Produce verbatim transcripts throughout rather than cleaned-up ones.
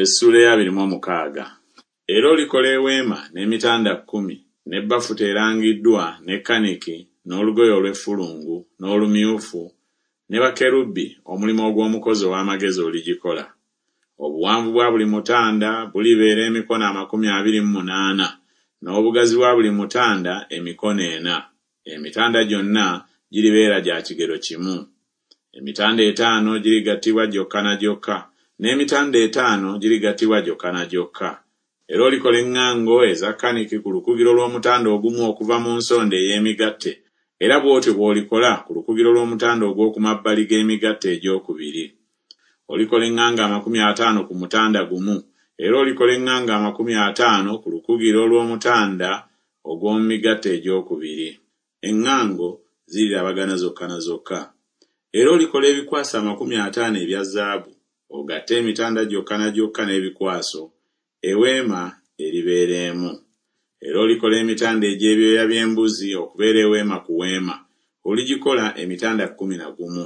Essuula ey'abiri mu omukaaga. Era olikola eweema n'emitanda kkumi, ne bafuta erangiddwa, ne kaniki, n'olugoye olw'effulungu, n'olumyufu, ne bakerubi, omulimu ogw'omukozi ow'amagezi oligikola. Obuwanvu bwa buli mutanda bulibeera emikono amakumi abiri mu munaana, n'obugazi bwa buli mutanda emikono ena. Emitanda gyonna giribeera gya kigero kimu. Emitanda etaano girigattibwa gyokka na gyokka, n'emitanda etaano girigattibwa gyokka na gyokka. Era olikola eŋŋango eza kaniki ku lukugiro lw'omutanda ogumu okuva mu nsonda ey'emigatte, era bw'otyo bw'olikola ku lukugiro lw'omutanda ogw'oku mabbali g'emigatte egyokubiri. Olikola eŋŋango amakumi ataano ku mutanda gumu, era olikola eŋŋango amakumi ataano ku lukugiro lw'omutanda ogw'omu migatte egyokubiri. Eŋŋango zirirabagana zokka na zokka. Era olikola ebikwaso amakumi ataano ebya zaabu, ogatte emitanda gyokka na gyokka n'ebikwaso, eweema eribeera emu. Era olikola emitanda egy'ebyoya by'embuzi okubeera eweema ku weema, oligikola emitanda kkumi na gumu.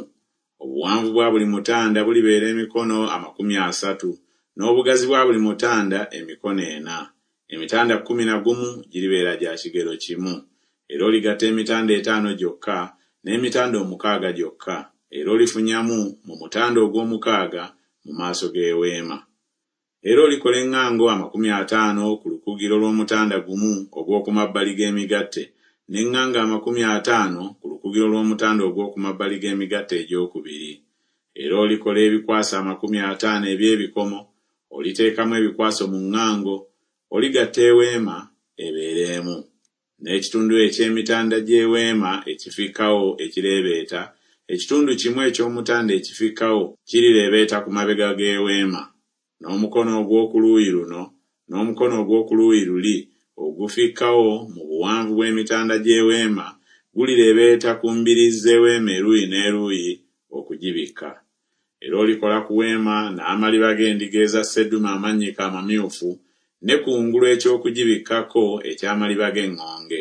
Obuwanvu bwa buli mutanda bulibeera emikono amakumi asatu, n'obugazi bwa buli mutanda emikono ena. Emitanda kkumi na gumu giribeera gya kigero kimu. Era oligatta emitanda etaano gyokka n'emitanda omukaaga gyokka, era olifunyamu mu mutanda ogw'omukaaga mu maaso g'eweema. Era olikola eŋŋango amakumi ataano ku lukugiro lw'omutanda gumu ogw'oku mabbali g'emigatte, n'eŋŋango amakumi ataano ku lukugiro lw'omutanda ogw'oku mabbali g'emigatte egyokubiri. Era olikola ebikwaso amakumi ataano eby'ebikomo, oliteekamu ebikwaso mu ŋŋango, oligatta eweema ebeere emu. N'ekitundu eky'emitanda gy'eweema ekifikkawo ekireebeeta, ekitundu kimu eky'omutanda ekifikkawo kirireebeeta ku mabega g'eweema. N'omukono ogw'oku luuyi luno n'omukono ogw'oku luuyi luli ogufikkawo mu buwanvu bw'emitanda gy'eweema gulireebeeta ku mbiriizi z'eweema eruuyi n'eruuyi okugibikka. Era olikola ku weema n'amaliba g'endiga eza sseddume amannyike amamyufu, ne kungulu eky'okugibikkako eky'amaliba g'eŋŋonge.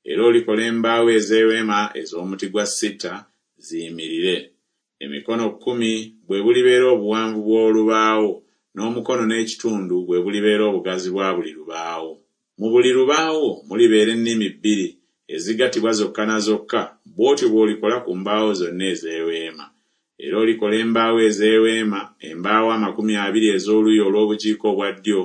Era olikola embaawo ez'eweema ez'omuti gwa sita ziyimirire. Emikono kkumi bwe bulibeera obuwanvu bw'olubaawo, n'omukono n'ekitundu bwe bulibeera obugazi bwa buli lubaawo. Mu buli lubaawo mulibeera ennimi bbiri ezigattibwa zokka na zokka, bw'otyo bw'olikola ku mbaawo zonna ez'eweema. Era olikola embaawo ez'eweema, embaawo amakumi abiri ez'oluuyi olw'obukiika obwa ddyo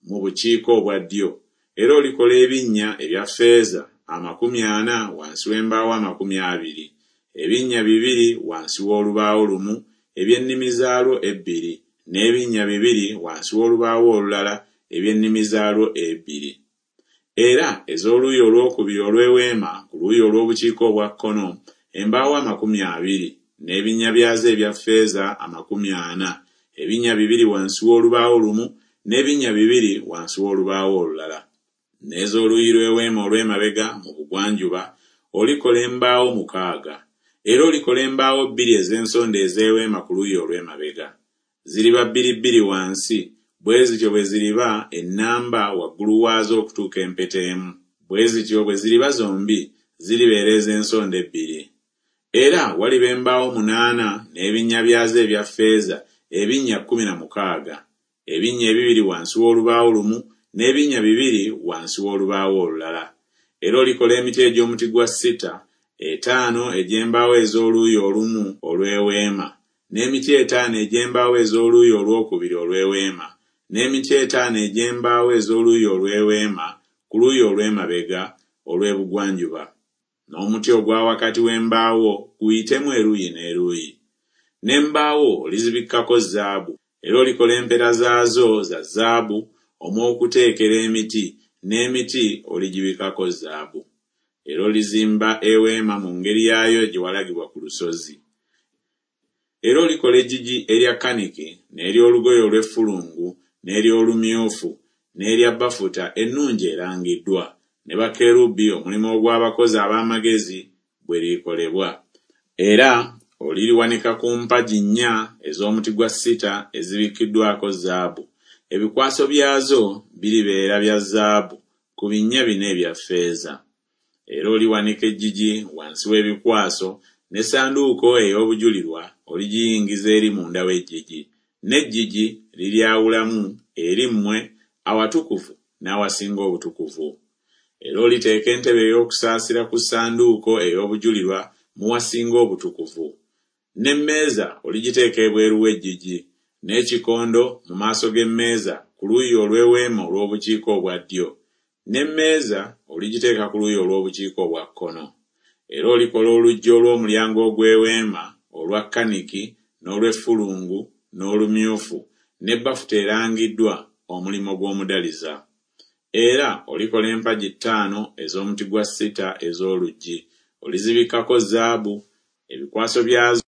mu bukiika obwa ddyo. Era olikola ebinnya ebya ffeeza amakumi ana wansi w'embaawo amakumi abiri, ebinnya bibiri wansi w'olubaawo lumu eby'ennimi zaalwo ebbiri, n'ebinnya bibiri wansi w'olubaawo olulala eby'ennimi zaalwo ebbiri. Era ez'oluuyi olwokubiri olw'eweema ku luuyi olw'obukiika obwa kkono, embaawo amakumi abiri, n'ebinnya byazo ebya ffeeza amakumi ana, ebinnya bibiri wansi w'olubaawo lumu, n'ebinnya bibiri wansi w'olubaawo olulala. N'ez'oluuyi lw'eweema olw'emabega mu bugwanjuba olikola embaawo mukaaga. Era olikola embaawo bbiri ez'ensonda ez'eweema ku luuyi olw'emabega. Ziriba bbiri bbiri wansi, bwe zityo bwe ziriba ennamba waggulu waazo okutuuka empeta emu. Bwe zityo bwe ziriba zombi, ziribeera ez'ensonda ebbiri. Era waliba embaawo munaana n'ebinnya byazo ebya ffeeza ebinnya kkumi na mukaaga, ebinnya ebibiri wansi w'olubaawo lumu n'ebinnya bibiri wansi w'olubaawo olulala. Era olikola emiti egy'omuti gwa sita, etaano egy'embaawo ez'oluuyi olumu olw'eweema, n'emiti etaano egy'embaawo ez'oluuyi olwokubiri olw'eweema, n'emiti etaano egy'embaawo ez'oluuyi olw'eweema ku luuyi olw'emabega olw'ebugwanjuba. N'omuti ogwa wakati w'embaawo guyitemu eruuyi n'eruuyi. N'embaawo olizibikkako zaabu, era olikola empera zaazo za zaabu omw'okuteekera emiti, n'emiti oligibikkako zaabu. Era olizimba eweema mu ngeri yaayo gye walagibwa ku lusozi. Era olikola eggigi erya kaniki, n'ery'olugoye olw'effulungu, n'ery'olumyufu, n'erya bafuta ennungi erangiddwa, ne bakerubi omulimu ogw'abakozi ab'amagezi bwe lirikolebwa. Era oliriwanika ku mpagi nnya ez'omuti gwa sita ezibikkiddwako zaabu. Ebikwaso byazo biribeera bya zaabu ku binnya bina ebya ffeeza. Era oliwanika eggigi wansi w'ebikwaso, n'essanduuko ey'obujulirwa oligiyingiza eri munda w'eggigi, n'eggigi liryawulamu eri mmwe awatukuvu n'awasinga obutukuvu. Era oliteeka entebe ey'okusaasira ku ssanduuko ey'obujulirwa mu wasinga obutukuvu. N'emmeeza oligiteeka ebweru w'eggigi, n'ekikondo mu maaso g'emmeeza ku luuyi olw'eweema olw'obukiika obwa ddyo, n'emmeeza oligiteeka ku luuyi olw'obukiika obwa kkono. Era olikola oluggi olw'omulyango ogw'eweema olwa kaniki n'olw'effulungu n'olumyufu ne bafuta erangiddwa, omulimu gw'omudaliza. Era olikola empagi ttaano ez'omuti gwa sita ez'oluggi, olizibikkako zaabu, ebikwaso byazo